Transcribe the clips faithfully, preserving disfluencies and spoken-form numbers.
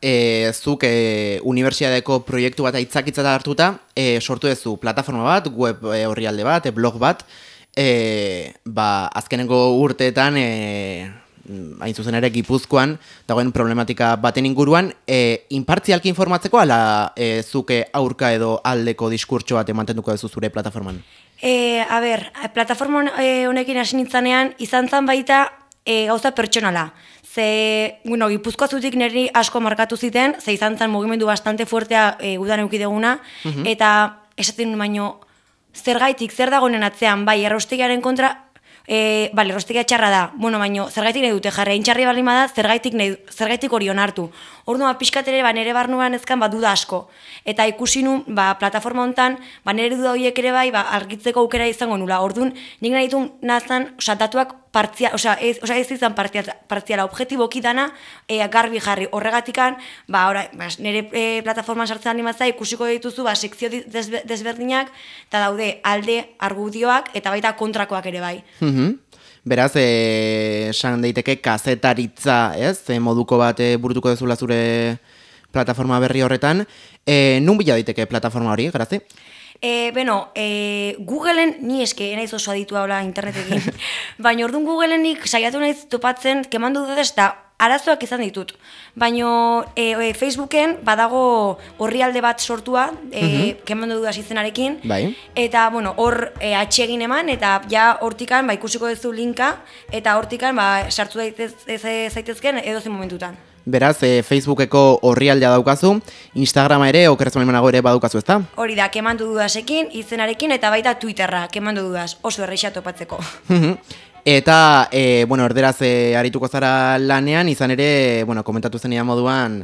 e, zuk e, unibertsitateko proiektu bat aitzakitzat hartuta, e, sortu duzu plataforma bat, web e, orrialde bat, e, blog bat, e, ba, azkenengo urteetan, e, hain zuzen ere Gipuzkoan, dagoen problematika baten inguruan, e, inpartzialki informatzeko, ala e, zuke aurka edo aldeko diskurtso bat emantenduko duzu zure plataforman? E, a ber, plataforma honekin hasi nintzanean, izan zan baita e, gauza pertsonala. Ze, bueno, Gipuzkoa zutik niri asko markatu ziten, ze izan zan mugimendu bastante fuertea e, gudan eukideguna, uh-huh. eta esaten baino, zergaitik, zer dagoenen atzean, bai, erraustegiaren kontra, E, bale, erraustegia txarra da, bueno, baino, zergaitik nahi dute jarri, intxarri balima da, zergaitik, nahi, zergaitik hori onartu. Orduan, pixkat ere, ba, nire barnuan ezkan, ba, duda asko. Eta ikusi nun, ba, plataforma hontan, ba, nire duda horiek ere bai, ba, argitzeko aukera izango nula. Orduan, nik nahi ditu nazan, oza, datuak partzia, oza, ez, oza, ez izan partziala, objetiboki dana, e, garbi jarri. Horregatikan, ba, ora, ba, nire e, plataforman sartzen animatza, ikusiko dituzu, ba, sekzio desberdinak, eta daude, alde, argudioak, eta baita kontrakoak ere bai. Beraz, esan daiteke kazetaritza, ez? E, moduko bat e, burutuko dezula zure plataforma berri horretan. E, nun bila daiteke plataforma hori, Grazi? E, beno, e, Googleen, ni eske, naiz oso aditua hola internetekin, baina orduan Googlenik saiatu naiz topatzen, kemandu dut ez da, arazoak izan ditut. Baina e, e, Facebooken badago orrialde bat sortua, e, uh-huh. kemandu dudaz izenarekin, bai. Eta, bueno, hor e, atxegin eman, eta ja hortikan, ba, ikusiko duzu linka, eta hortikan, ba, sartu daitez, ez, zaitezken edozen momentutan. Beraz, e, Facebookeko orrialdea daukazu, Instagrama ere, okerrezu manago ere badukazu, ezta? Hori da, kemandu dudasekin, izenarekin, eta baita Twitterra, kemandu dudaz, oso erreixa topatzeko. Eta, e, bueno, erderaz e, arituko zara lanean, izan ere, bueno, komentatu zenidan moduan,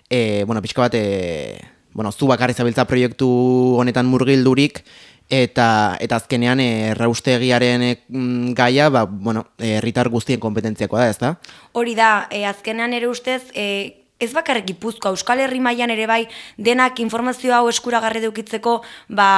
e, bueno, pixka bat, e, bueno, zu bakarri zabiltza proiektu honetan murgildurik, eta eta azkenean erraustegiaren e, gaia, ba, bueno, herritar guztien kompetentziakoa da, ezta? Hori da, e, azkenean ere ustez, e, ez bakarrik Gipuzkoa, Euskal Herri mailan ere bai, denak informazio hau eskuragarri edukitzeko, ba,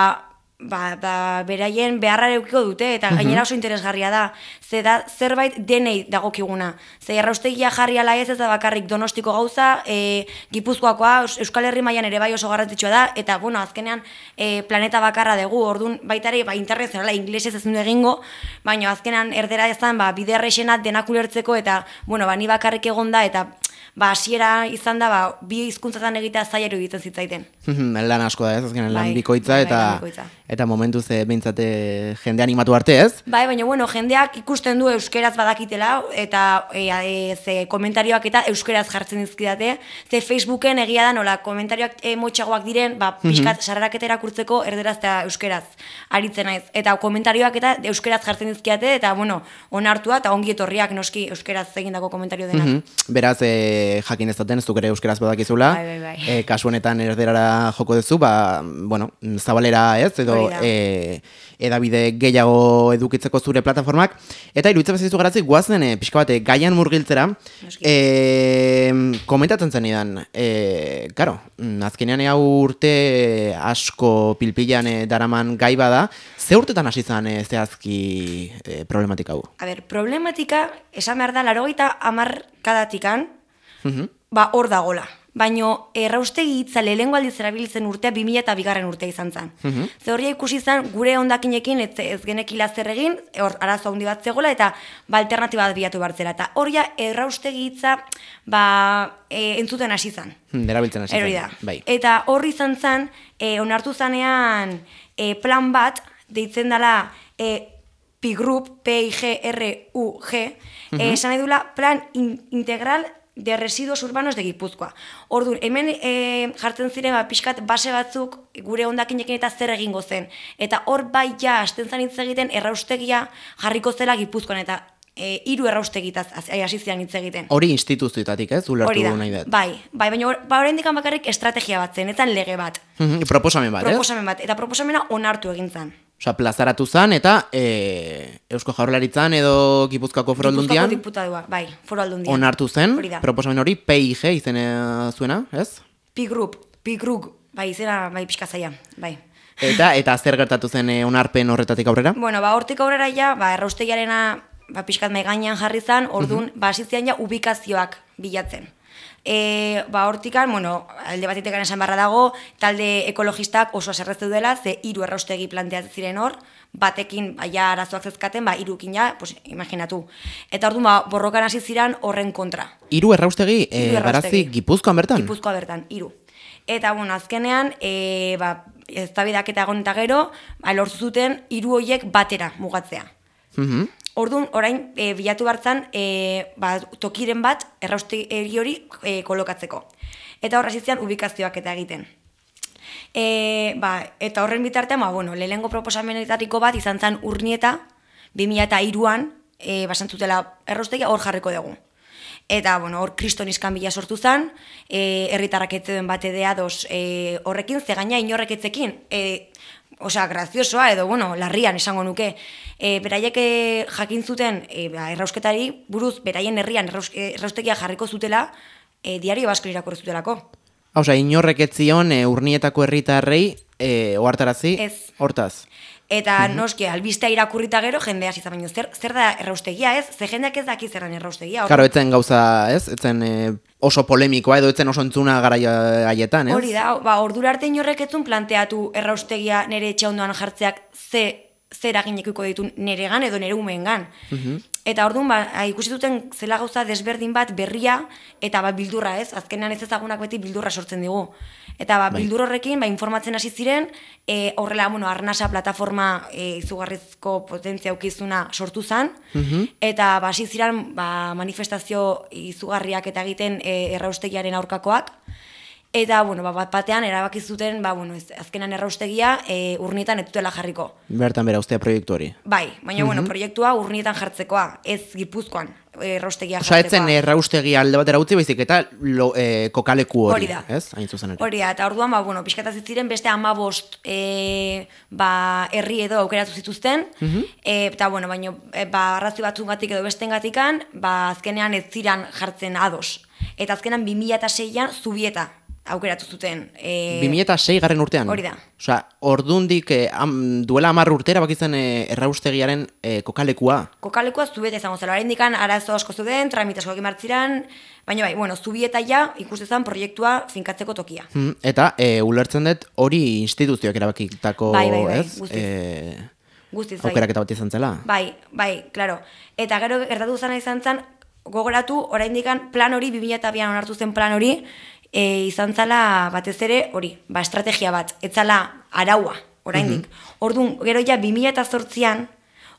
ba, ba, beraien beharra eukiko dute, eta gainera oso interesgarria da. Ze da, zerbait denei dagokiguna. Ze erraustegia jarri ala ez ez da bakarrik Donostiko gauza, e, Gipuzkoakoa, Euskal Herri mailan ere bai oso garrantzitsua da, eta, bueno, azkenean e, planeta bakarra dugu, orduan baita ere, ba, internazionala, inglesez ez du egingo, baina azkenean erdera ezan, ba, bide errexena denak ulertzeko, eta, bueno, ba, ni bakarrik egonda, eta ba, hasiera izan da, ba, bi hizkuntzatan egitea zaila iruditzen zitzaiten. Lan asko da, ez, azkenean lan bai, bikoitza, bai, eta, lan bikoitza. Eta momentu ze behintzate jende animatu arte, ez? Bai, baina, bueno, jendeak ikusten du euskeraz badakitela, eta e, e, ze komentarioak eta euskeraz jartzen dizkidate, ze Facebooken egia da nola, komentarioak e, motxagoak diren, ba, pixkat sarraraketa erakurtzeko erderaz eta euskeraz aritzen naiz. Eta komentarioak eta euskeraz jartzen dizkidate, eta, bueno, onartua eta ongi etorriak noski euskeraz egindako komentario denak. Mm-hmm. Beraz, e, jakin ez daten, ez duk ere euskeraz badakizula, bai, bai, bai. E, kasu honetan erderara joko duzu, ba, bueno, zabalera ez, edo e, edabide gehiago edukitzeko zure plataformak, eta iruditzen bezizu garazik guazen e, pixka bat, gaian murgiltzera, e, komentatzen zenidan, e, karo, azkenean hau urte asko pilpilan e, daraman gai bada, ze urtetan hasi zan e, zehazki e, problematika hau? A ber, problematika, esan behar da, larogeita hamarkadatikan, uh-huh. ba, hor dagola. Baina erraustegi hitza lehengo aldiz erabiltzen urtea bi mila eta bigarren urtea izan zen. Uh-huh. Ze horria ikusi zen gure hondakinekin ez, ez genekila zer egin, hor arazo handi bat zegoela, eta ba, alternatiba bat bilatu bartzela. Eta horria erraustegi hitza ba, e, entzuten hasi zen. Hmm, erabiltzen hasi zen. Bai. Eta horri izan zen, e, onartu zanean e, plan bat, deitzen dela e, P Group, P I G R U G, uh-huh. e, esan nahi dula plan in, integral de residuos urbanos de Gipuzkoa. Orduan, hemen e, jartzen ziren ba, pixkat base batzuk gure hondakinekin eta zer egingo zen. Eta hor bai ja, hasten zan hitz egiten, erraustegia jarriko zela Gipuzkoan, eta e, hiru erraustegitaz hasi ziren hitz egiten. Hori instituzioetatik, ez? Ulertu nahi dut. Bai, bai, baina ba, oraindik bakarrik estrategia bat zen, etan lege bat. Proposamen bat, Proposamen bat, eta proposamena onartu egin zen. Osa, plazaratu zan, eta e, Eusko Jaurlaritzan edo Gipuzkoako Foru Aldundian. Gipuzkoako diputadua, bai, Foru Aldundian. Onartu zen, proposamen hori P I G izena zuena, ez? P Group, P Group, bai, izena, bai, pixka zaila, bai. Eta, eta zer gertatu zen e, onarpen horretatik aurrera? Bueno, ba, hortik aurrera ja, ba, erraustegiarena, ba, pixkat mai gainean jarri zen, orduan, uh-huh. ba, asizian ja ubikazioak bilatzen. e, ba, hortikan, bueno, alde batetekan esan barra dago, talde ekologistak oso aserrezu dela, ze hiru erraustegi planteatzen ziren hor, batekin ja arazoak zezkaten, ba, irukin ja, pues, imaginatu. Eta orduan, ba, borrokan hasi ziren horren kontra. Hiru erraustegi, e, garazi Gipuzkoan bertan? Gipuzkoa bertan, hiru. Eta, bueno, azkenean, e, ba, eztabaidak eta egon eta gero, ba, lortu zuten hiru horiek batera mugatzea. Mhm. Orduan, orain, e, bilatu bartzan, e, ba, tokiren bat erraustegi hori e, kolokatzeko. Eta horra zizian ubikazioak eta egiten. E, ba, eta horren bitartean, ba, bueno, lehenengo proposamenetariko bat izan zen Urnieta, bi mila hiruan, e, basantzutela erraustegia hor jarriko dugu. Eta, bueno, hor kriston iskanbila sortu zen, e, herritarrak etzeden bat edea dos e, horrekin, zegaina inorrek etzekin, e, osea, graziosoa edo, bueno, larrian esango nuke. E, beraiek jakin zuten e, ba, errausketari buruz, beraien herrian erraus, erraustegia jarriko zutela, e, diario basko irakurri zutelako. Osea, inorrek etzion e, Urnietako herritarrei e, ohartarazi hortaz. Eta mm-hmm. noski, albistea irakurrita gero, jendea hasi baino zer, zer da erraustegia, ez? Ze jendeak ez daki zerran erraustegia. Claro, etzen gauza, ez? Etzen e, oso polemikoa edo etzen oso entzuna garaia haietan, ez? Hori da, ba, ordura arte inorrek etzun planteatu erraustegia nere etxe ondoan jartzeak ze zer aginekiko ditu neregan edo nere umeengan. Mm-hmm. Eta orduan, ba, ikusi duten zela gauza desberdin bat berria eta ba, bildurra, ez? Azkenean ez ezagunak beti bildurra sortzen digu. Eta ba, bildur horrekin ba, informatzen hasi ziren, e, horrela, bueno, Arnasa plataforma e, izugarrizko potentzia aukizuna sortu zen, mm-hmm. eta ba, hasi ziren ba, manifestazio izugarriak eta egiten e, erraustegiaren aurkakoak. Eta, bueno, ba, bat batean erabaki zuten, ba, bueno, ez, azkenan erraustegia e, Urnietan ez dutela jarriko. Bertan bera ustea proiektu hori. Bai, baina, mm-hmm. bueno, proiektua Urnietan jartzekoa, ez Gipuzkoan erraustegia jartzekoa. Osa, etzen erraustegia alde batera utzi baizik eta lo, e, kokaleku hori, hori da. Ez? Hain zuzen ere. Hori da, eta orduan, ba, bueno, pixkataz ziren beste hamabost e, ba, herri edo aukeratu zituzten, mm-hmm. e, eta, bueno, baina, e, ba, arrazio batzungatik edo bestengatikan, ba, azkenean ez ziran jartzen ados. Eta azkenean bi mila seian Zubieta aukeratu zuten. E... bi mila sei garren urtean? Hori da. Osea, ordundik eh, am, duela hamar urtera bakitzen eh, erraustegiaren eh, kokalekua? Kokalekua Zubieta izango zela. Haren dikan arazo asko zuden, tramite asko egin martziran, baina bai, bueno, Zubieta ja ikustezan proiektua finkatzeko tokia. Hmm, eta e, ulertzen dut hori instituzioak erabakitako, bai, bai, bai, ez? Guztiz. E, Guztiz, bai. Aukerak eta bat izan zela? Bai, bai, klaro. Eta gero gertatu zena izan zen, gogoratu, oraindikan plan hori, bi mila bian onartu zen plan hori, E, izan zala batez ere hori, ba, estrategia bat, etzala araua, oraindik. Mm-hmm. Orduan, gero ja bi mila zortzian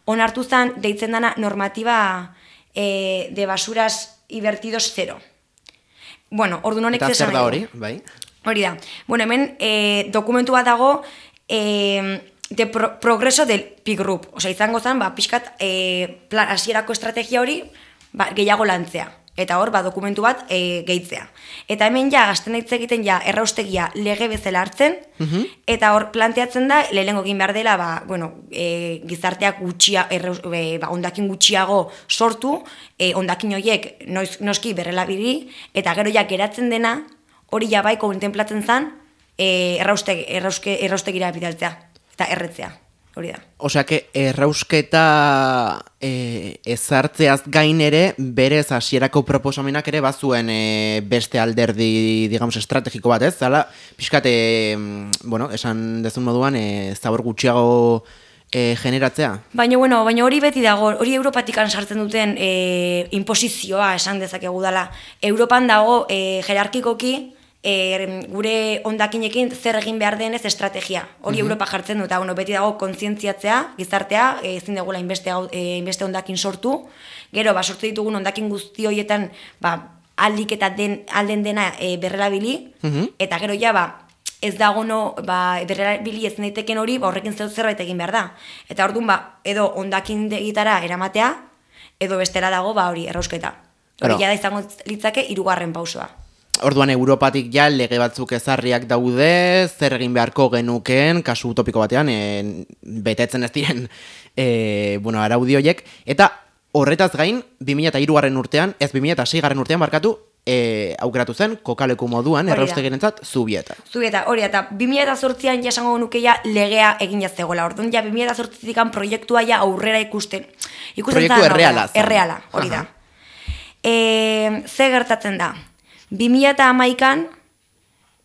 onartu zen deitzen dana normatiba e, de basuras ibertidos zero. Bueno, orduan honek eta zer da hori, bai? Hori da. Bueno, hemen e, dokumentu bat dago e, de pro, progreso del P Group. Osea, izango zen, ba, pixkat e, plan, hasierako estrategia hori ba, gehiago lantzea. Eta hor, ba, dokumentu bat e, gehitzea. Eta hemen ja, gazten hitz egiten ja, erraustegia lege bezala hartzen, mm-hmm. eta hor planteatzen da, lehenengo egin behar dela, ba, bueno, e, gizarteak gutxia, erraus, e, ba, ondakin gutxiago sortu, e, ondakin horiek noiz, noski berrelabili, eta gero ja geratzen dena, hori ja bai kontemplatzen zen, e, errausteg, errauske, erraustegira bidaltzea, eta erretzea. Hori da. Osea, que errausketa e, ezartzeaz gain ere, berez hasierako proposamenak ere bazuen e, beste alderdi, digamos, estrategiko bat, ez? Zala, pixkat, e, bueno, esan dezun moduan, e, zabor gutxiago e, generatzea. Baina, bueno, baina hori beti dago, hori Europatikan sartzen duten e, imposizioa esan dezakegu dela. Europan dago, e, jerarkikoki, E, gure ondakinekin zer egin behar denez estrategia. Hori mm-hmm. Europa jartzen du, eta bueno, beti dago kontzientziatzea, gizartea, e, ezin degula inbeste, e, inbeste ondakin sortu. Gero, ba, sortu ditugun ondakin guzti horietan, ba, aldik eta den, alden dena e, berrelabili, mm-hmm. eta gero ja, ba, ez dago no, ba, berrelabili ez naiteken hori, ba, horrekin zerbait egin behar da. Eta orduan, ba, edo ondakin degitara eramatea, edo bestera dago, ba, hori, errausketa. Hori ja da izango litzake hirugarren pausoa. Orduan Europatik ja lege batzuk ezarriak daude, zer egin beharko genuken, kasu utopiko batean, e, betetzen ez diren e, bueno, araudioiek. Eta horretaz gain, bi mila hirugarren urtean, ez bi mila seigarren urtean barkatu, e, aukeratu zen, kokaleku moduan, erraustegirentzat, Zubieta. Zubieta, hori, eta bi mila zortzian jasango nuke ja legea egin jaztegoela. Orduan, ja bi mila zortzikan proiektua ja aurrera ikusten. ikusten Proiektu erreala. Erreala, hori da. E, ze gertatzen da? bi mila hamaikan,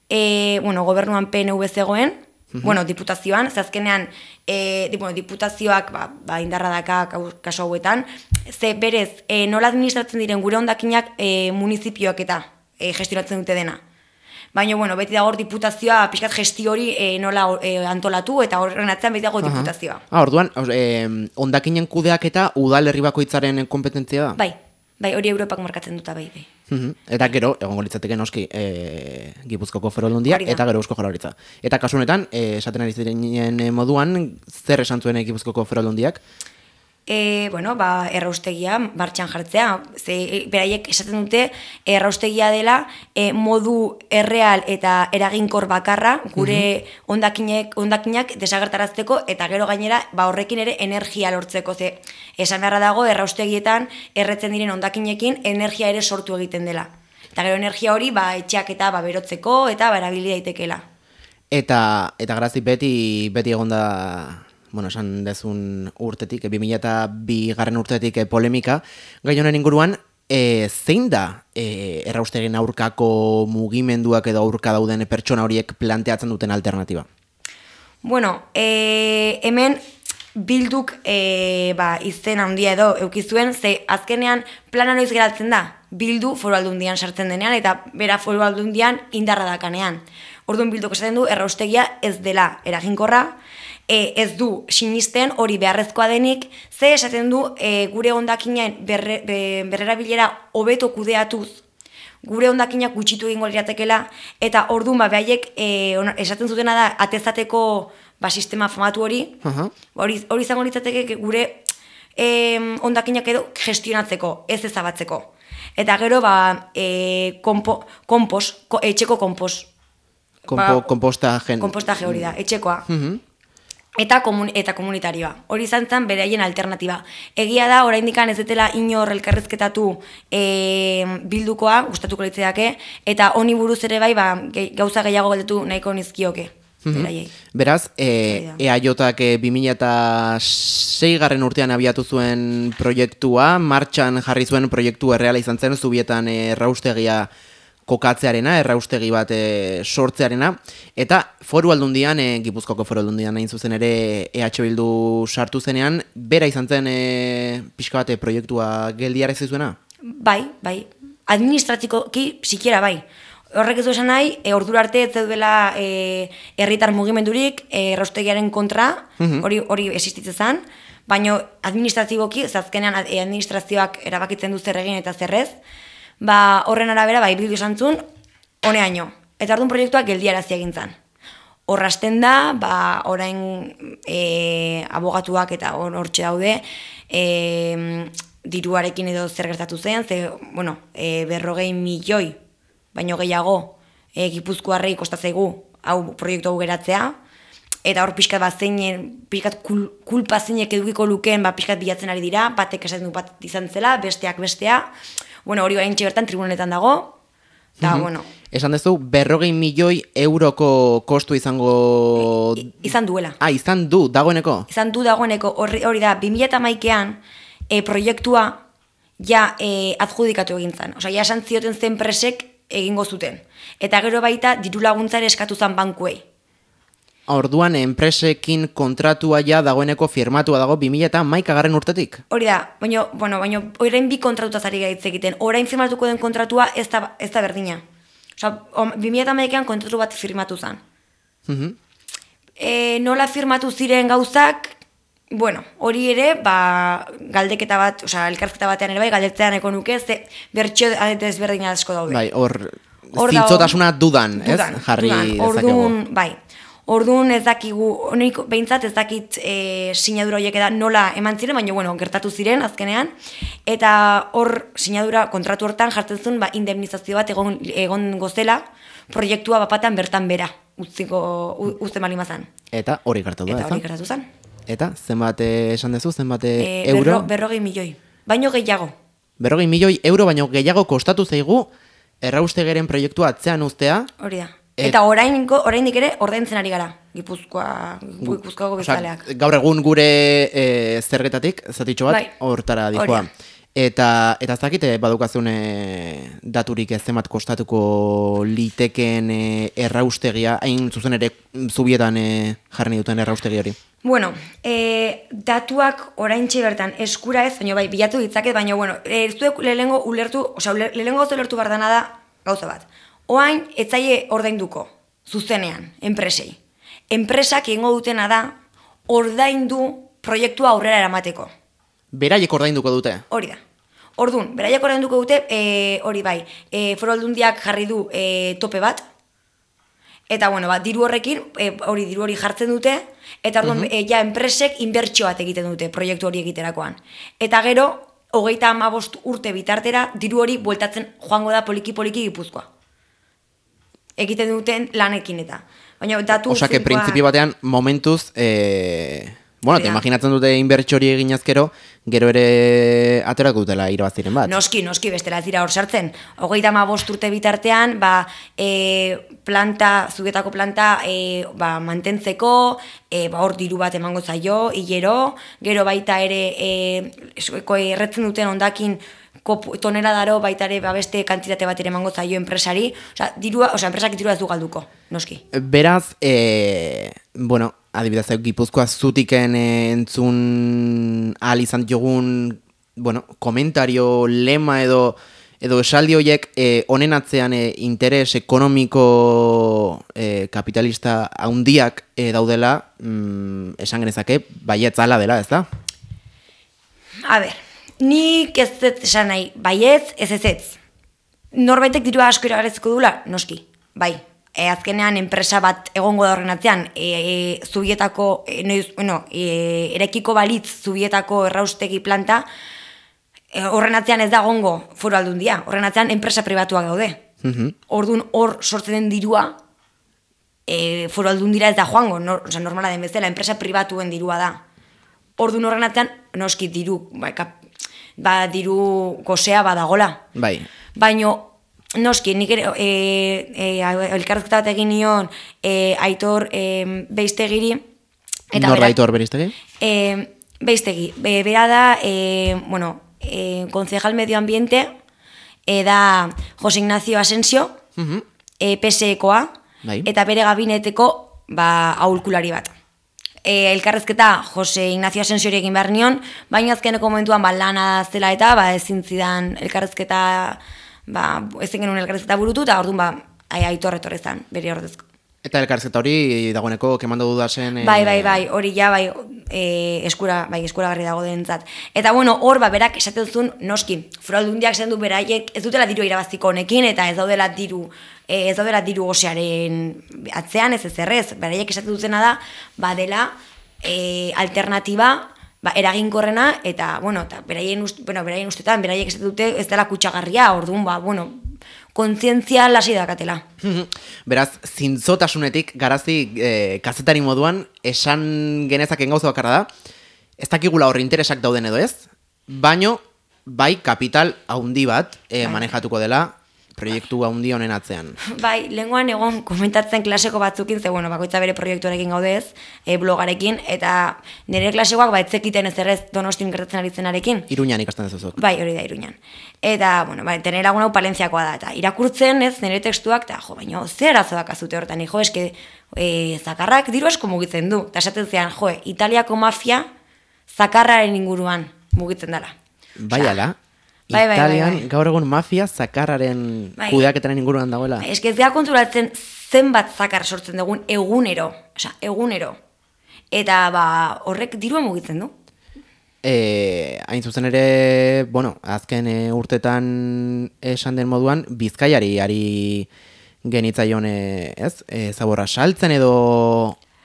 e, bueno, gobernuan P N V zegoen, bueno, diputazioan, zazkenean, e, di, bueno, diputazioak ba, ba, indarra daka kaso hauetan, ze berez, e, nola administratzen diren gure hondakinak e, munizipioak eta e, gestionatzen dute dena. Baina, bueno, beti dago diputazioa, pixkat gestio hori e, nola e, antolatu, eta horren atzean beti dago diputazioa. Ah, orduan, eh, hondakinen kudeak eta udalerri bakoitzaren kompetentzia da? Bai, bai, hori Europak markatzen duta bai, bai. Uhum. Eta gero, egongo litzateke noski, e, Gipuzkoako Foru Aldundia eta gero Eusko Jaurlaritza. Eta kasu honetan, e, esaten ari ziren moduan, zer esan zuen Gipuzkoako Foru Aldundiak? E, bueno, ba, erraustegia martxan jartzea. Ze, beraiek esaten dute, erraustegia dela e, modu erreal eta eraginkor bakarra gure hondakinek, hondakinak desagertarazteko eta gero gainera ba, horrekin ere energia lortzeko. Ze, esan beharra dago, erraustegietan erretzen diren hondakinekin energia ere sortu egiten dela. Eta gero energia hori ba, etxeak eta ba, berotzeko eta ba, erabili daitekeela. Eta, eta grazi beti, beti egonda... bueno, esan dezun urtetik, bi mila bi garren urtetik polemika, gai honen inguruan, e, zein da e, erraustegien aurkako mugimenduak edo aurka dauden pertsona horiek planteatzen duten alternatiba? Bueno, e, hemen bilduk e, ba, izen handia edo eukizuen, ze azkenean plana noiz geratzen da, bildu foru aldundian sartzen denean, eta bera foru aldundian indarra dakanean. Orduan bilduk esaten du, erraustegia ez dela eraginkorra, E, ez du sinisten hori beharrezkoa denik, ze esaten du e, gure hondakinen berre, be, berrera bilera hobeto kudeatuz, gure hondakinak gutxitu egingo liratekela, eta orduan ba, behaiek e, esaten zutena da atezateko ba, sistema famatu hori, uh-huh. hori, hori izango litzateke gure e, hondakinak edo gestionatzeko, ez ezabatzeko. Eta gero, ba, e, kompo, kompos, ko, etxeko kompos. Kompo, ba, kompostaje. Kompostaje hori da, etxekoa. Uh-huh. Eta, komun, eta komunitarioa. Hori izan zen beraien alternatiba. Egia da, oraindikan ez detela inor elkarrezketatu e, bildukoa, gustatuko litzeake, eta honi buruz ere bai ba, gauza gehiago galdetu nahiko nizkioke. Mm-hmm. Beraz, e, E A Jak bi mila sei garren urtean abiatu zuen proiektua, martxan jarri zuen proiektu erreala izan zen, Zubietan erraustegia kokatzearena, erraustegi bat e, sortzearena, eta foru aldundian, e, Gipuzkoako foru aldundian hain zuzen ere E H Bildu sartu zenean, bera izan zen e, pixka bate proiektua geldiara ez zuena? Bai, bai. Administratikoki sikiera bai. Horrek ez du esan nahi, e, ordura arte ez duela e, herritar mugimendurik e, erraustegiaren kontra, hori uh-huh. hori existitzen zen, baina administratiboki, azkenean administrazioak erabakitzen du zer egin eta zerrez, ba, horren arabera, bai, bildu esantzun, honeaino. Eta orduan proiektuak geldiarazi egin zen. Horrasten da, ba, orain e, abogatuak eta hortxe daude, e, diruarekin edo zer gertatu zen, ze, bueno, e, berrogei milioi, baino gehiago, e, Gipuzkoarrei kostatzaigu hau proiektu hau geratzea, eta hor pixkat bat zeinen, pixkat kul, kulpa zeinek edukiko lukeen, ba, pixkat bilatzen ari dira, batek esaten du bat izan zela, besteak bestea, bueno, hori hain bertan tribunetan dago, eta, mm-hmm. bueno. Esan dezu, berrogei milioi euroko kostu izango... I, izan duela. Ah, izan du, dagoeneko? Izan du dagoeneko, hori, hori da, bi mila hamaikean e, proiektua ja e, adjudikatu egin zen. Osa, ja esan zioten zen presek egingo zuten. Eta gero baita, diru laguntzare eskatu zen bankuei. Orduan, enpresekin kontratua ja dagoeneko firmatua dago bi mila hamaika garren urtetik? Hori da, baina, bueno, baina, orain bi kontratutaz ari gaitz egiten. Orain firmatuko den kontratua ez da, ez da berdina. Osa, bi mila hamaikean kontratu bat firmatu zen. Uh-huh. E, nola firmatu ziren gauzak, bueno, hori ere, ba, galdeketa bat, osa, elkarrizketa batean ere bai, galdetzean eko nuke, ze bertxio desberdina asko daude. Bai, hor, zintzotasuna dudan, ez? Dudan, jarri dudan. Orduan, bai. Orduan ez dakigu, honik behintzat ez dakit e, sinadura horiek da nola eman ziren, baina bueno, gertatu ziren azkenean, eta hor sinadura kontratu hortan jartzen zuen ba, indemnizazio bat egon, egon gozela, proiektua bapatan bertan bera, utziko, uzten bali mazan. Eta hori gertatu da, Eta hori gertatu zen. Eta zenbat esan dezu, zenbat e, euro? Berro, berrogei milioi, baino gehiago. Berrogei milioi euro, baino gehiago kostatu zaigu erraustegeren proiektua atzean uztea. Hori da. Eta orainiko, oraindik ere ordaintzen ari gara, Gipuzkoa, Gipuzkoako bezaleak. Gaur egun gure e, zergetatik, zatitxo bat, bai. hortara dijoa. Eta, eta ez dakite badukazun e, daturik ez zemat kostatuko litekeen e, erraustegia, hain zuzen ere zubietan e, jarri duten erraustegi hori? Bueno, e, datuak oraintxe bertan eskura ez, baina bai, bilatu ditzaket, baina bueno, ez duek lehengo ulertu, osea, lehengo gauza ulertu bardana da gauza bat. Oain, etzaile ordainduko, zuzenean, enpresei. Enpresak egingo dutena da, ordaindu proiektua aurrera eramateko. Beraiek ordainduko dute? Hori da. Orduan, beraiek ordainduko dute, e, hori bai, e, Foru Aldundiak jarri du e, tope bat, eta bueno, ba, diru horrekin, e, hori diru hori jartzen dute, eta orduan, uh -huh. e, ja, enpresek inbertsio bat egiten dute proiektu hori egiterakoan. Eta gero, hogeita hamabost urte bitartera, diru hori bueltatzen joango da poliki-poliki Gipuzkoa. Egiten duten lanekin eta. Baina, datu... Osa, que printzipio batean, momentuz... E... Bueno, te imaginatzen dute inbertsio hori egin azkero, gero ere aterako dutela irabaziren bat. Noski, noski, bestela ez dira hor sartzen. Hogeita hamabost urte bitartean, ba, e, planta, zugetako planta e, ba, mantentzeko, e, ba, hor diru bat emango zaio, hilero, gero baita ere e, erretzen duten ondakin tonera daro baita ere ba, beste kantitate bat ere emango zaio enpresari, osea, dirua, osea, enpresak dirua ez du galduko, noski. Beraz, e, bueno, adibidez, Gipuzkoa zutiken entzun ahal izan jogun, bueno, komentario, lema edo edo esaldi horiek e, honen atzean e, interes ekonomiko e, kapitalista handiak e, daudela, mm, esan genezake, baietz ala dela, ez da? A ber, nik ez ez esan nahi, baietz, ez ez ez. Norbaitek dirua asko iragarezko dula, noski, bai. E, azkenean enpresa bat egongo da horren atzean, e, e, zubietako, e, noiz, bueno, e, erekiko balitz zubietako erraustegi planta, e, horren atzean ez da egongo Foru Aldundia, horren atzean enpresa pribatuak gaude. Mm-hmm. Orduan hor sortzen den dirua, e, Foru Aldundira ez da joango, no, oza, normala den bezala, enpresa pribatuen dirua da. Orduan horren atzean, noski diru, ba, kap, ba, diru gozea badagola. Bai. Baino, noski, nik ere, e, e, elkarrezketa bat egin nion e, Aitor e, Beiztegiri. Nor da Aitor Beiztegi? E, Beiztegi, be, bera da, e, bueno, e, concejal medio ambiente, e, da Jose Ignacio Asensio, uh-huh. e, P S E-koa, bai. Eta bere gabineteko ba, aholkulari bat. E, elkarrezketa Jose Ignacio Asensio egin behar nion, baina azkeneko momentuan ba, lana zela eta ba, ezin zidan elkarrezketa... ba, ezen genuen elkarrezketa burutu, eta orduan ba, Aitor etorrezan, bere ordezko. Eta elkarrezketa hori dagoeneko kemando dudasen... E... Bai, bai, bai, hori ja, bai, e, eskura, bai, eskuragarri dago dentzat. Eta bueno, hor, ba, berak esaten zuen, noski, Foru Aldundiak zen du beraiek, ez dutela diru irabaziko honekin, eta ez daudela diru, e, ez daudela diru gosearen atzean, ez ez errez, beraiek esaten dutena da, ba, dela e, alternatiba, ba, eraginkorrena, eta, bueno, eta beraien, ust, bueno, beraien ustetan, beraiek ez dute ez dela kutsagarria, orduan, ba, bueno, kontzientzia lasi dakatela. Beraz, zintzotasunetik, garazi, e, kazetari moduan, esan genezaken gauza bakarra da, ez dakigula horri interesak dauden edo ez, baino, bai, kapital haundi bat e, manejatuko dela, proiektu haundi honen atzean. Bai, lehengoan egon komentatzen klaseko batzukin, ze bueno, bakoitza bere proiektuarekin gaudez, e, blogarekin, eta nire klasekoak ba etzekiten ez errez Donostin gertatzen ari zenarekin. Iruñan ikasten dezuzuk. Bai, hori da, Iruñan. Eta, bueno, bai, tenera lagun hau Palentziakoa da, eta irakurtzen ez nire tekstuak, eta jo, baina ze arazo dakazute hortan, jo, eske e, zakarrak diru asko mugitzen du, eta esaten zean, jo, Italiako mafia zakarraren inguruan mugitzen dela. Bai, ala? Bai, bai, Italian, bai, bai. gaur egun mafia zakarraren bai. Kudeaketaren inguruan dagoela. Bai, eske ez da konturatzen zenbat zakar sortzen dugun egunero, osea, egunero. Eta ba, horrek dirua mugitzen du. E, hain zuzen ere, bueno, azken e, urtetan esan den moduan, Bizkaiari ari genitzaion, e, ez? E, zaborra saltzen edo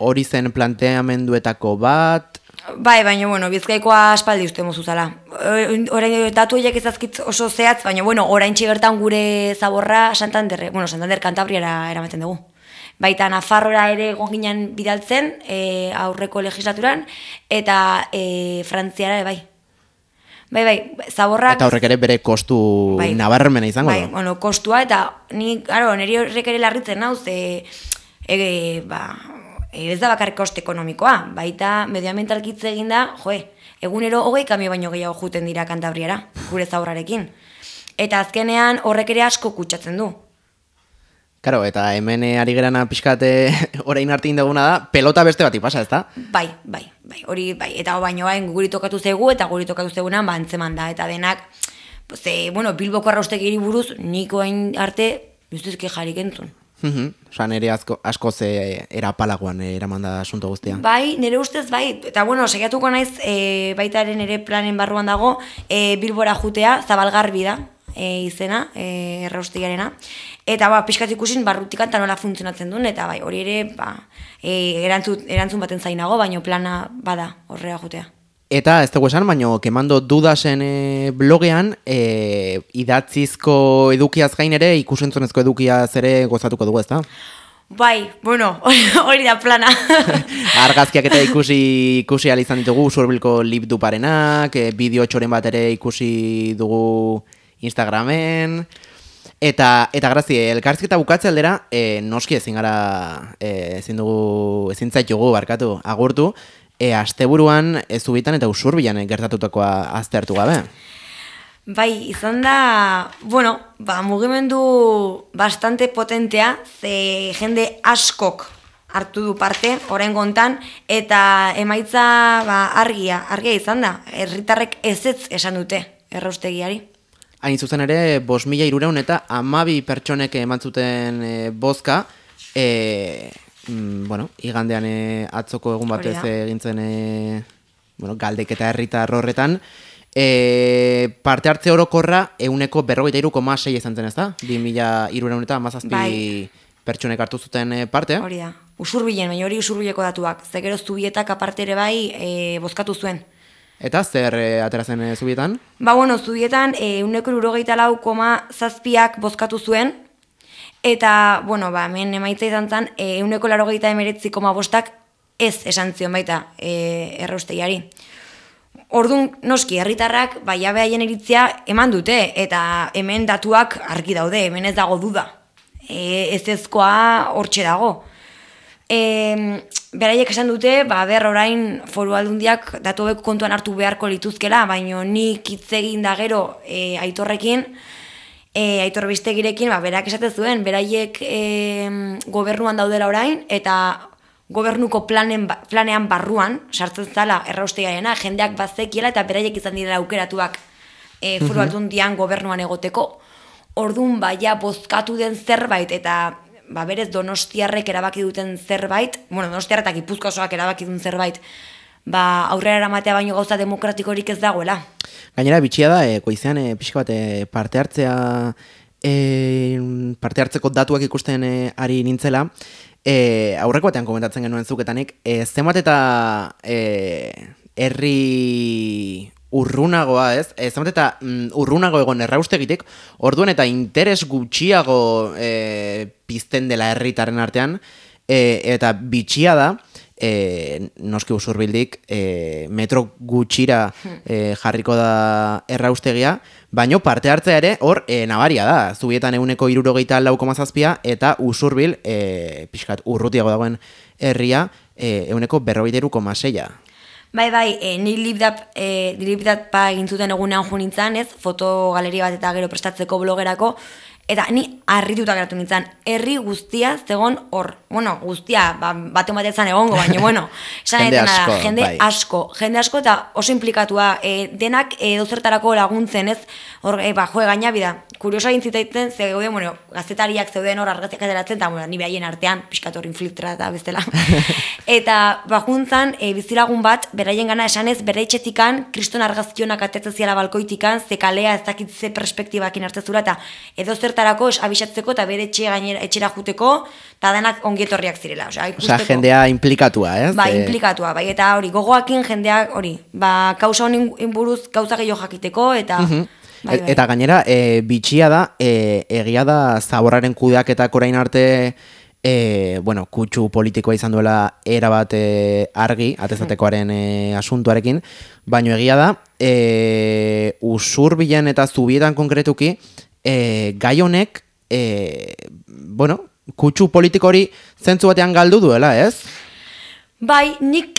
hori zen planteamenduetako bat... Bai, baina, bueno, Bizkaikoa aspaldi uste mozuzala. Orain datu horiek ezazkitz oso zehatz, baina, bueno, orain bertan gure zaborra Santanderre, bueno, Santander Kantabriara eramaten dugu. Baita Nafarroa ere egon ginen bidaltzen, e, aurreko legislaturan, eta e, Frantziara, bai. Bai, bai, zaborrak... Eta horrek ere bere kostu bai, nabarmena izango bai, da. Bueno, kostua, eta ni, claro, niri horrek ere larritzen nau, ze, e, ba... ez da bakar koste ekonomikoa, baita medioambientalkitze egin da, joe, egunero hogei kamio baino gehiago juten dira Kantabriara, gure zaurrarekin. Eta azkenean horrek ere asko kutsatzen du. Karo, eta hemen ari gerana pixkate orain arte indaguna da, pelota beste bati pasa, ez da? Bai, bai, bai, hori, bai, eta baino bain guri tokatu zegu, eta guri tokatu zegunan bantzeman da, eta denak, ze, bueno, Bilboko arraustegiri buruz, niko hain arte, justizki jarik entzun. Osa, nire asko, asko ze erapalagoan eraman da asunto guztia. Bai, nire ustez bai, eta bueno, segiatuko naiz, e, baitaren ere planen barruan dago, e, Bilbora jutea, Zabalgarbi da, e, izena, e, erraustegiarena, eta ba, pixkat ikusin barrutikan eta nola funtzionatzen duen, eta bai, hori ere, ba, e, erantzun, erantzun baten zainago, baino plana bada horrea jutea. Eta ez dugu esan, baino, kemando dudasen e, blogean, e, idatzizko edukiaz gain ere, ikusentzunezko edukiaz ere gozatuko dugu, ez da? Bai, bueno, hori da plana. Argazkiak eta ikusi ikusi ahal izan ditugu, Usurbilko libduparenak, e, bideo txoren bat ere ikusi dugu Instagramen, eta eta grazi, elkarrizketa bukatze aldera, e, noski ezin gara, e, ezin dugu, ezin zaitugu barkatu, agurtu, E, asteburuan ez Zubitan eta Usurbilan gertatutakoa aztertu gabe. Bai, izan da, bueno, ba, mugimendu bastante potentea, ze jende askok hartu du parte, orain gontan, eta emaitza ba, argia, argia izan da, herritarrek ezetz esan dute erraustegiari. Hain zuzen ere, bost mila hirurehun eta hamabi pertsonek eman zuten e, bozka, e, bueno, igandean e, atzoko egun batez egintzen e, bueno, galdeketa herritar horretan, e, parte hartze orokorra euneko berrogeita hiru koma sei izan zen, ez da? bi mila hirurehun eta hamazazpi bai. Pertsonek hartu zuten parte. Hori da, Usurbilen, baina hori Usurbileko datuak, ze gero Zubietak aparte ere bai e, bozkatu zuen. Eta zer e, atera zen e, Zubietan? Ba, bueno, Zubietan euneko hirurogeita lau koma zazpiak bozkatu zuen, eta, bueno, ba, hemen emaitza izan zen, euneko larogeita emeretzi koma bostak ez esan zion baita e, erraustegiari. Orduan, noski, herritarrak, ba, jabe haien iritzia eman dute, eta hemen datuak argi daude, hemen ez dago duda. E, ez ezkoa hortxe dago. E, beraiek esan dute, ba, ber orain foru aldundiak datu hauek kontuan hartu beharko lituzkela, baino nik hitz egin da gero e, Aitorrekin, E, Aitor Bistegirekin, ba, berak esate zuen, beraiek e, gobernuan daudela orain, eta gobernuko planen, planean barruan, sartzen zala erraustegiarena, jendeak bazekiela, eta beraiek izan direla aukeratuak e, foru aldundian gobernuan egoteko. Orduan, baia bozkatu den zerbait, eta ba, berez donostiarrek erabaki duten zerbait, bueno, donostiarrek eta Gipuzkoa osoak erabaki duten zerbait, ba, aurrera eramatea baino gauza demokratikorik ez dagoela. Gainera, bitxia da, e, goizean e, pixka bat e, parte hartzea, e, parte hartzeko datuak ikusten e, ari nintzela, e, aurreko batean komentatzen genuen zuketanik, e, zemat eta e, herri urrunagoa, ez? E, zemat eta mm, urrunago egon erraustegitik, orduan eta interes gutxiago e, pizten dela herritaren artean, e, eta bitxia da, E, noski Usurbildik e, metro gutxira e, jarriko da erraustegia, baino parte hartzea ere hor e, nabaria da, Zubietan euneko hirurogeita lau koma zazpia eta Usurbil e, pixkat urrutiago dagoen herria e, euneko berrogeita hiru koma seia. Bai, bai, e, ni libdap, e, libdap pa egin zuten egunean jo nintzen, ez, fotogaleria bat eta gero prestatzeko blogerako, eta ni harrituta geratu nintzen, herri guztia zegon hor. Bueno, guztia, ba, bate batean egongo, baina, bueno, esan jende asko, da, jende bai. asko, jende asko eta oso implikatua, e, denak e, dozertarako laguntzen, ez, hor, e, ba, joe gaina bida, kurioso egin zitaiten, zeuden, bueno, gazetariak zeuden hor argazkiak ateratzen, eta, bueno, ni behaien artean, pixkat hor infiltra eta bestela. Eta, ba, juntzan, e, bizilagun bat, beraien gana esanez, bere etxetikan, kriston argazkionak atetzen ziala balkoitikan, ze kalea ez dakit ze perspektibakin hartzezura, eta edo zertarako abisatzeko eta bere etxe gainera etxera juteko, eta denak ongietorriak zirela. Osea, Osea, jendea implikatua, ez? Ba, implikatua, bai, eta hori, gogoakin jendeak, hori, ba, kausa honin buruz gauza gehiago jakiteko, eta... Uh-huh. bai, bai. Eta gainera, e, bitxia da, e, egia da zaborraren kudeaketak orain arte, e, bueno, kutsu politikoa izan duela erabat e, argi, atezatekoaren e, asuntuarekin, baino egia da, e, Usurbilen eta Zubietan konkretuki, e, gai honek, e, bueno, kutsu politiko hori zentzu batean galdu duela, ez? Bai, nik,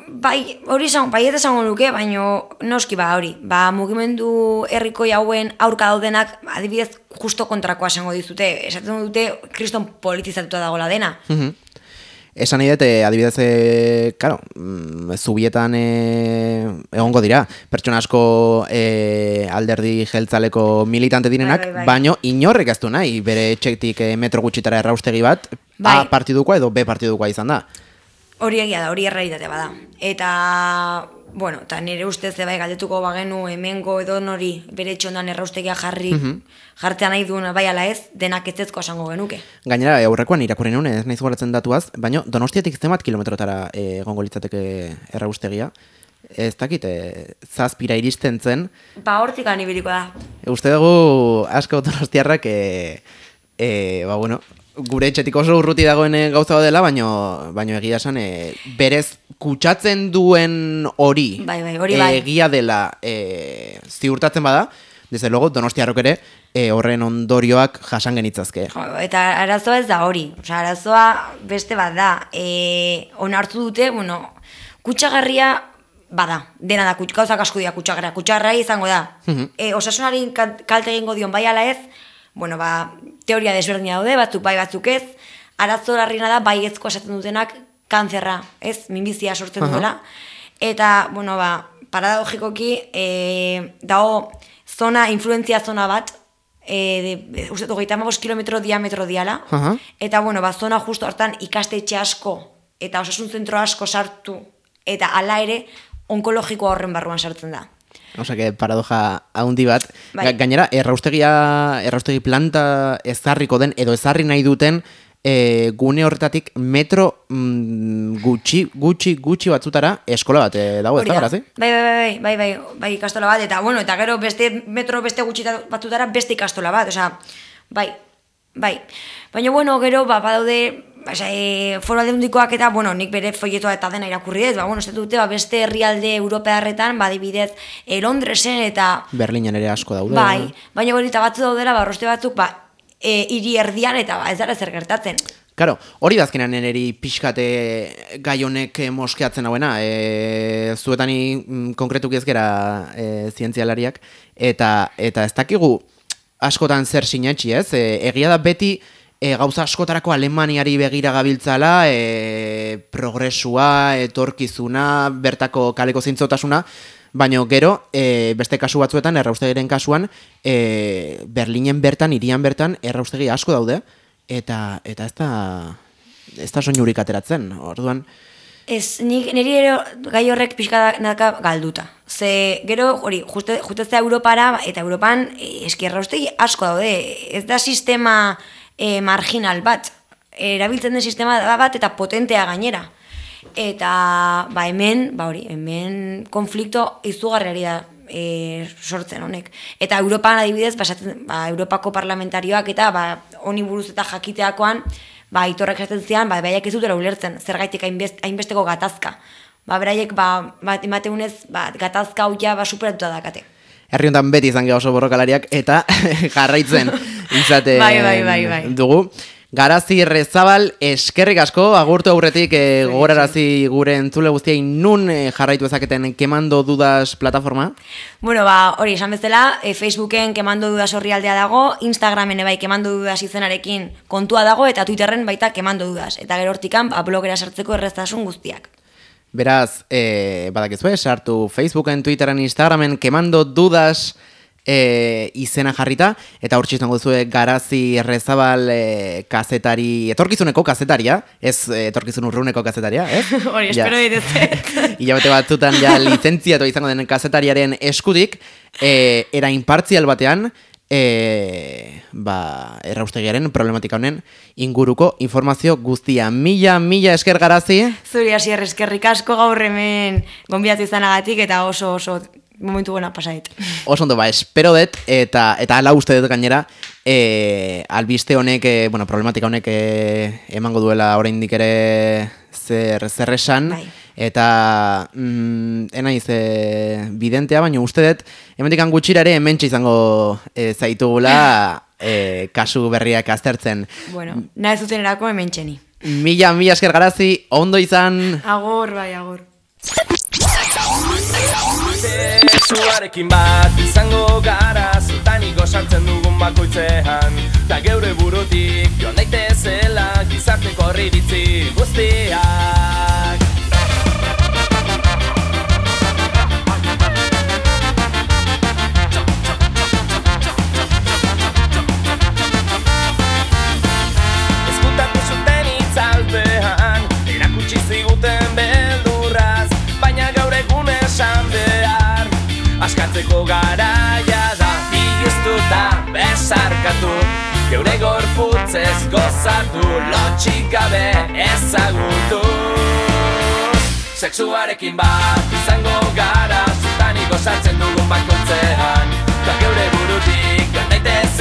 bai, hori izan, bai eta izango nuke, baina noski ba hori. Ba, mugimendu herriko hauen aurka daudenak, adibidez, justo kontrakoa esango dizute. Esaten dute, kriston politizatuta dagoela dena. Mhm. Esan nahi dut, adibidez, e, karo, mm, zubietan e, egongo dira, pertsona asko e, alderdi jeltzaleko militante direnak, bai, bai, bai. baino inorrek ez du nahi, bere etxetik e, metro gutxitara erraustegi bat, bai. A partidukoa edo B partidukoa izan da. Hori egia da, hori errealitate bada. Eta, bueno, eta nire ustez bai galdetuko bagenu hemengo edo nori bere etxondan erraustegia jarri, mm -hmm. jartzea nahi duen bai ala ez, denak etzezko esango genuke. Gainera, aurrekoan irakurri nuen, ez naiz goratzen datuaz, baina Donostiatik zenbat kilometrotara egongo litzateke erraustegia. Ez dakit, e, zazpira iristen zen. Ba, hortik anibiliko da. E, uste dugu asko donostiarrak, e, e, ba, bueno, gure etxetik oso urruti dagoen gauza dela, baino, baino egia esan, e, berez kutsatzen duen hori, bai, bai, hori bai. egia dela e, ziurtatzen bada, desde luego Donostiarrok ere e, horren ondorioak jasan genitzazke. Eta arazoa ez da hori, osea, arazoa beste bat da, e, onartu dute, bueno, kutsagarria bada, dena da, gauzak asko dira kutsagarria, kutsagarria izango da, Mhm. e, osasunari kalte egingo dion bai ala ez, bueno, ba, teoria desberdina daude, batzuk bai batzuk ez, arazo larriena da baiezko esaten dutenak kantzerra, ez, minbizia sortzen Aha. duela, eta, bueno, ba, paradogikoki, e, dago zona, influentzia zona bat, e, de, uste, hogeita hamabost kilometro diametro diala, Aha. eta, bueno, ba, zona justo hortan ikastetxe asko, eta osasun zentro asko sartu, eta hala ere, onkologikoa horren barruan sartzen da. Osa, que paradoja haundi bat. Bai. Gainera, erraustegia, erraustegi planta ezarriko den, edo ezarri nahi duten, e, gune horretatik metro mm, gutxi, gutxi, gutxi batzutara eskola bat e, dago, ez da, garazi? Bai, bai, bai, bai, bai, bai, ikastola bat, eta, bueno, eta gero beste metro beste gutxi batzutara beste ikastola bat, osea, bai, bai. Baina, bueno, gero, ba, badaude, Basa, e, foro aldundikoak eta, bueno, nik bere folletoa eta dena irakurri dut, ba, bueno, ez dute, ba, beste herrialde europearretan, ba, dibidez, e, Londresen eta... Berlinen ere asko daude. Bai, baina hori eta batzu daudela, ba, roste batzuk, ba, e, hiri erdian eta ba, ez dara zer gertatzen. Karo, hori dazkenan niri pixkate gai honek moskeatzen hauena, e, zuetani mm, konkretuki ezkera e, zientzialariak, eta, eta ez dakigu askotan zer sinetxi, ez? E, egia da beti... E, gauza askotarako Alemaniari begira gabiltzala, e, progresua, etorkizuna, bertako kaleko zintzotasuna, baina gero, e, beste kasu batzuetan, erraustegiren kasuan, e, Berlinen bertan, hirian bertan, erraustegi asko daude, eta eta ez da, ez da soinurik ateratzen, orduan... Ez, nik, niri ero gai horrek pixka naka galduta. Ze, gero, hori, justezea Europara, eta Europan e, eski erraustegi asko daude, ez da sistema... E, marginal bat, erabiltzen den sistema bat eta potentea gainera. Eta ba, hemen, ba hori, hemen konflikto izugarriari da e, sortzen honek. Eta Europan adibidez, basatzen, ba, Europako parlamentarioak eta ba, honi buruz eta jakiteakoan, ba, itorrek esaten zian, ba, baiak ez dutela ulertzen, zergaitik hainbest, hainbesteko gatazka. Ba, beraiek, ba, bat emateunez, ba, gatazka hau ja ba, superatuta dakate. Herri honetan beti izan geha oso borrokalariak eta jarraitzen izaten bai, bai, bai, bai. dugu. Garazi Rezabal, eskerrik asko, agurtu aurretik e, gogorarazi gure entzule guztiai nun e, jarraitu ezaketen Kemando Dudas plataforma? Bueno, ba, hori esan bezala, e, Facebooken Kemando Dudas orrialdea dago, Instagramen bai Kemando Dudas izenarekin kontua dago, eta Twitterren baita Kemando Dudas. Eta gero hortikan, ba, blogera sartzeko erreztasun guztiak. Beraz, e, badakizue, sartu Facebooken, Twitteren, Instagramen, Kemando Dudas e, izena jarrita, eta hor txizango duzue Garazi Rezabal e, kazetari, etorkizuneko kazetaria, ez etorkizun urruneko kazetaria, ez? Hori, espero dituzet. Hilabete batzutan ja lizentziatu izango den kazetariaren eskutik, e, era impartzial batean, E, ba, erraustegiaren problematika honen inguruko informazio guztia. Mila, mila esker Garazi. Zuri hasier eskerrik asko gaur hemen gonbidatu izanagatik eta oso oso momentu buena pasait. Oso ondo, ba, espero dut eta eta hala uste dut gainera e, albiste honek, e, bueno, problematika honek e, emango duela oraindik ere zer, zer esan. Bai. Eta mm, enaiz e, bidentea, baina uste dut hemendik gutxira ere hementxe izango e, zaitugula e, kasu berriak aztertzen. Bueno, nahi zuten erako hementxeni. Mila, mila esker Garazi, ondo izan. Agor, bai, agor. Sexuarekin bat izango gara, zutaniko sartzen dugun bakoitzean, ta geure burutik joan daitezela gizarteko horriritzi guztiak. Ezkutatu zuten itzalpean, erakutsi ziguten beldurraz, baina gaur egun esan behar, askatzeko garaia da, igiztuta besarkatu, geure gorputzez gozatu, lotxik gabe ezagutu. Sexuarekin bat izango gara, zutaniko sartzen dugun bakoitzean, ta geure burutik joan daitez